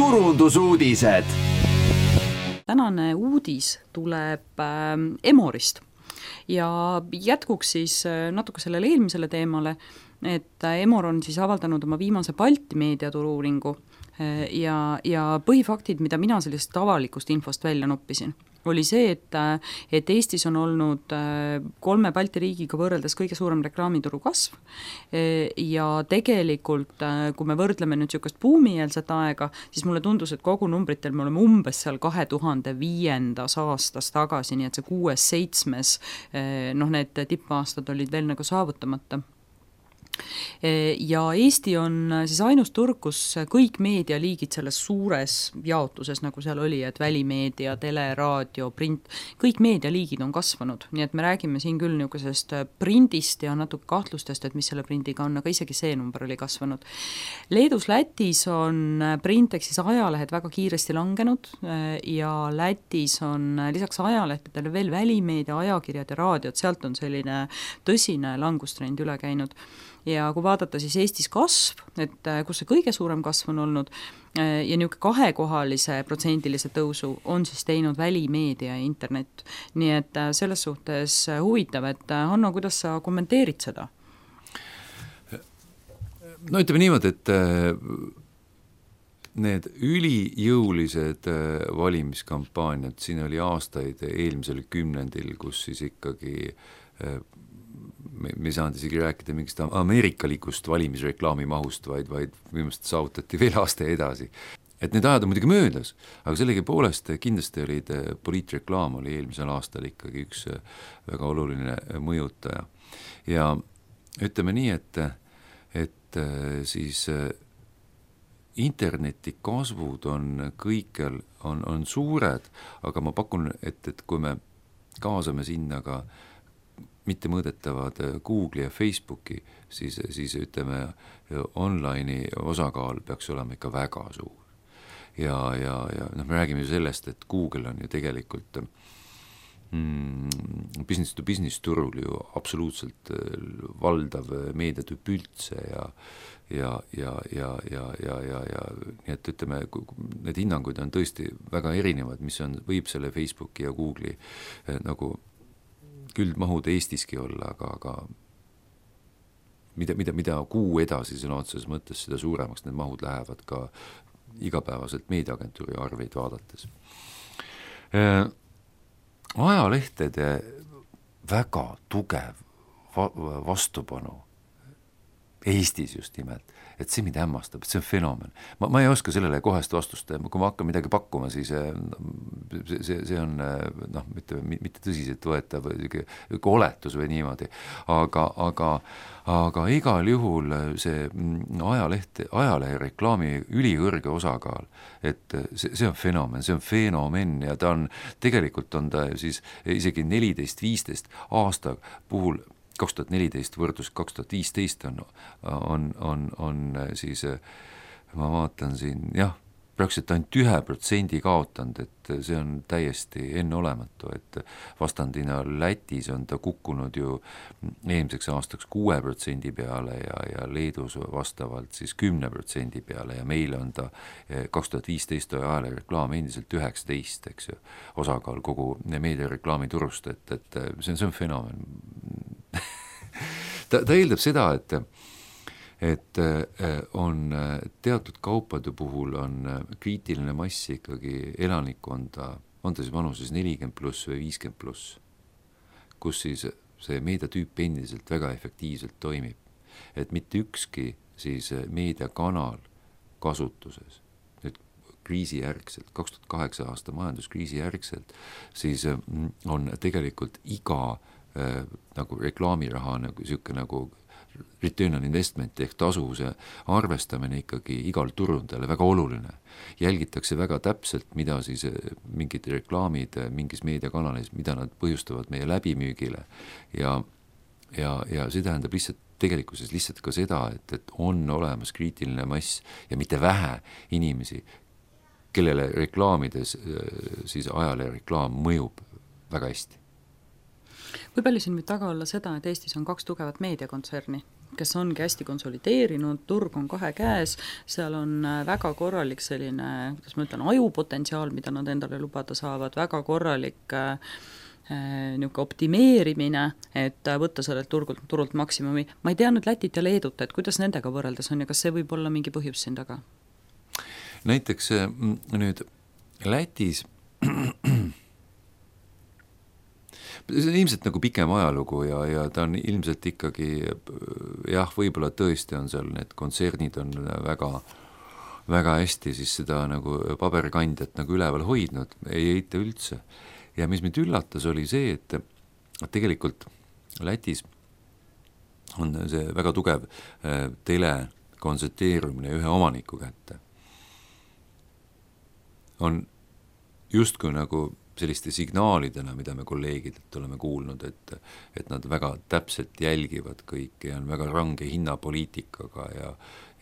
turundusuudised. Tänane uudis tuleb Emorist ja jätkuks siis natuke sellele eelmisele teemale, et Emor on siis avaldanud oma viimase Balti meediaturu-uuringu ja põhifaktid, mida mina sellest avalikust infost välja noppisin, oli see, et Eestis on olnud 3 Balti riigiga võrreldes kõige suurem reklaamituru kasv ja tegelikult, kui me võrdleme nüüd niisugust buumieelset aega, siis mulle tundus, et kogu numbritel me oleme umbes seal 2005. aastast tagasi, nii et see 6-7, need tippaastad olid veel nagu saavutamata. Ja Eesti on siis ainus turg, kus kõik meedialiigid selles suures jaotuses, nagu seal oli, et välimeedia, tele, raadio, print, kõik meedialiigid on kasvanud, nii et me räägime siin küll niisugusest prindist ja natuke kahtlustest, et mis selle prindiga on, aga isegi see number oli kasvanud. Leedus, Lätis on print ehk siis ajalehed väga kiiresti langenud ja Lätis on lisaks ajalehtedele veel välimeedia, ajakirjad ja raadiod, sealt on selline tõsine langustrend üle käinud. Ja kui vaadata siis Eestis kasv, et kus see kõige suurem kasv on olnud ja niisugune 2-kohalise protsendilise tõusu on siis teinud välimeedia ja internet. Nii et selles suhtes huvitav, et Hanno, kuidas sa kommenteerid seda? No ütleme niimoodi, et need ülijõulised valimiskampaaniad, siin oli aastaid eelmisel kümnendil, kus siis ikkagi me ei saanud isegi rääkida mingist ameerikalikust valimisreklaami mahust, vaid viimast saavutati veel aasta edasi. Et need ajad on muidugi möödas, aga sellegi poolest kindlasti olid poliitreklaam oli eelmisel aastal ikkagi üks väga oluline mõjutaja. Ja ütleme nii, et siis interneti kasvud on kõikjal on suured, aga ma pakun, et kui me kaasame sinna ka mitte mõõdetavad Google'i ja Facebooki, siis ütleme, online'i osakaal peaks olema ikka väga suur. Ja me räägime ju sellest, et Google on ju tegelikult business to business turul ju absoluutselt valdav meediatüüp üldse ja nii et ütleme, need hinnanguid on tõesti väga erinevad, mis võib selle Facebooki ja Google'i nagu küldmahud Eestiski olla, aga mida kuu edasi sõna otseses mõttes, seda suuremaks need mahud lähevad ka igapäevaselt meediaagentuuri arveid vaadates. Ajalehtede väga tugev vastupanu Eestis just nimelt, et see mind hämmastab, et see on fenomen. Ma ei oska sellele kohest vastust, kui ma hakkan midagi pakkuma, siis see on mitte tõsiselt võetav oletus või niimoodi, aga igal juhul see ajalehe reklaami ülikõrge osakaal, et see on fenomen ja tegelikult on ta siis isegi 14-15 aasta puhul 2014 võrdlus 2015 on siis, ma vaatan siin, jah, praktiliselt ainult 1% kaotanud, et see on täiesti enneolematu, et vastandina Lätis on ta kukkunud ju eelmiseks aastaks 6% peale ja Leedus vastavalt siis 10% peale ja meil on ta 2015 ajale reklaam endiselt 19, eks ju, osakaal kogu meediareklaami turust, et see on fenomen. Ta eeldab seda, et on teatud kaupade puhul on kriitiline mass ikkagi elanikkonda, on ta siis vanuses 40+ või 50+, kus siis see meediatüüp endiselt väga efektiivselt toimib. Et mitte ükski siis meediakanal kasutuses, nüüd kriisijärgselt, 2008 aasta majanduskriisi järgselt, siis on tegelikult iga nagu reklaamiraha nagu return on investment ehk tasuvuse arvestamine ikkagi igal turundajale väga oluline. Jälgitakse väga täpselt, mida siis mingid reklaamid mingis meediakanalis, mida nad põhjustavad meie läbimüügile ja see tähendab tegelikkuses lihtsalt ka seda, et on olemas kriitiline mass ja mitte vähe inimesi, kellele reklaamides siis ajalehe reklaam mõjub väga hästi. Kui palju siin võib taga olla seda, et Eestis on 2 tugevat meediakontserni, kes ongi hästi konsolideerinud, turg on kahe käes, seal on väga korralik selline, kuidas ma ütlen, ajupotentsiaal, mida nad endale lubada saavad, väga korralik niisugune optimeerimine, et võtta sellelt turult maksimumi. Ma ei tea nüüd Lätit ja Leedut, et kuidas nendega võrreldes on ja kas see võib olla mingi põhjus siin taga? Näiteks nüüd Lätis see on ilmselt nagu pikem ajalugu ja ta on ilmselt ikkagi jah, võib-olla tõesti on seal need kontsernid on väga, väga hästi siis seda nagu paberkandjat nagu üleval hoidnud, ei eita üldse. Ja mis mind üllatas oli see, et tegelikult Lätis on see väga tugev telekontsentreerumine ühe omaniku kätte. On justkui nagu selliste signaalidena, mida me kolleegidelt oleme kuulnud, et nad väga täpselt jälgivad kõike ja on väga range hinnapoliitikaga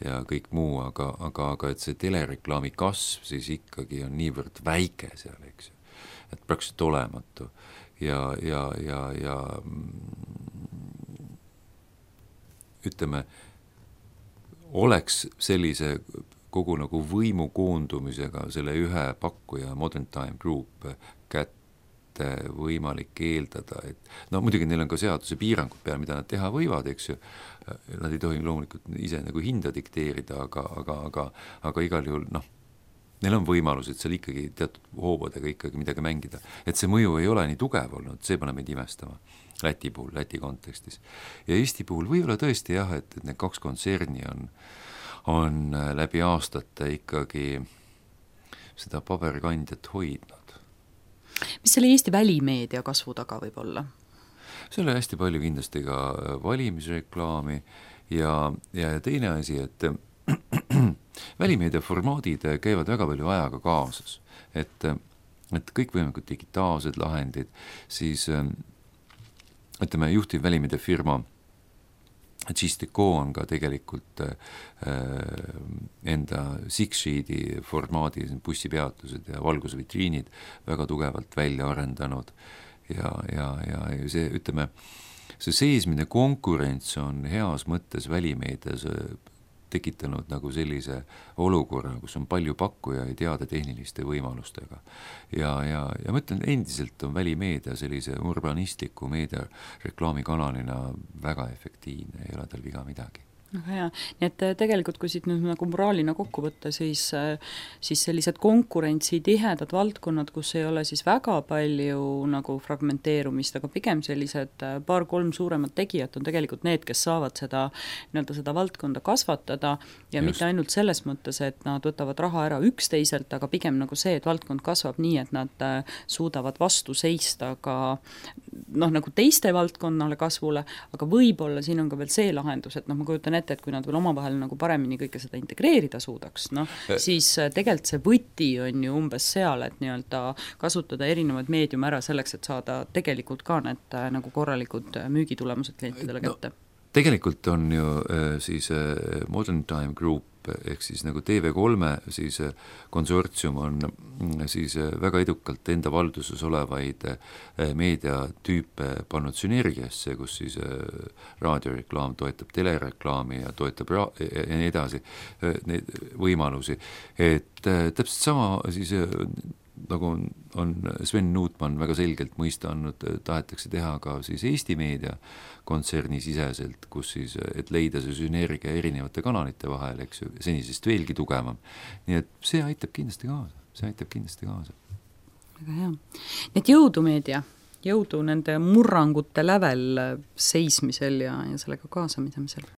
ja kõik muu, aga et see telereklaami kasv siis ikkagi on niivõrd väike seal, eks ju, et praktiliselt olematu ja ütleme, oleks sellise kogu nagu võimu koondumisega selle ühe pakkuja Modern Time Group kätte võimalik eeldada, et no muidugi neil on ka seaduse piirangud peal, mida nad teha võivad, eks ju, nad ei tohi loomulikult ise nagu hinda dikteerida, aga igal juhul neil on võimalus, et seal ikkagi teatud hoobadega ikkagi midagi mängida, et see mõju ei ole nii tugev olnud, see paneb meid imestama Läti puhul, Läti kontekstis. Ja Eesti puhul võib-olla tõesti jah, et need kaks kontserni on läbi aastate ikkagi seda paberkandjat hoidnud. Mis selle Eesti välimeedia kasvu taga võib olla? See oli hästi palju kindlasti ka valimisreklaami ja teine asi, et välimeedia formaadid käivad väga palju ajaga kaasas, et kõikvõimalikud digitaalsed lahendid, siis ütleme, juhtiv välimeedia firma Gisteco on ka tegelikult enda Six-Sheedi formaadi bussipeatused ja valgusvitriinid väga tugevalt välja arendanud ja see, ütleme, see seesmine konkurents on heas mõttes välimeedias tekitanud nagu sellise olukorra, kus on palju pakkujaid heade tehniliste võimalustega. Ja ma ütlen, endiselt on välimeedia sellise urbanistliku meedia reklaamikanalina väga efektiivne, ei ole tal viga midagi. Väga hea. Nii et tegelikult, kui siit nüüd nagu moraalina kokku võtta, siis sellised konkurentsi tihedad valdkonnad, kus ei ole siis väga palju nagu fragmenteerumist, aga pigem sellised 2-3 suuremat tegijat on tegelikult need, kes saavad seda valdkonda kasvatada ja mitte ainult selles mõttes, et nad võtavad raha ära üksteiselt, aga pigem nagu see, et valdkond kasvab nii, et nad suudavad vastu seista ka nagu teiste valdkonnale kasvule, aga võib-olla siin on ka veel see lahendus, et ma kujutan ette, et kui nad veel omavahel nagu paremini kõike seda integreerida suudaks, siis tegelikult see võti on ju umbes seal, et nii-öelda kasutada erinevaid meediume ära selleks, et saada tegelikult ka need nagu korralikud müügitulemused klientidele kätte. Tegelikult on ju siis Modern Time Group ehk siis nagu TV3 siis konsortsium on siis väga edukalt enda valduses olevaid meediatüüpe pannud sünergiasse, kus siis raadioreklaam toetab telereklaami ja toetab ja nii edasi neid võimalusi, et täpselt sama siis nagu on Sven Nutman väga selgelt mõista andnud, tahetakse teha ka siis Eesti meedia kontserni siseselt, kus siis, et leida see sünergia erinevate kanalite vahel, eks ju, senisest veelgi tugevam. Nii et see aitab kindlasti kaasa. Väga hea. Need jõudu meedia, jõudu nende murrangute lävel seismisel ja sellega kaasamisel.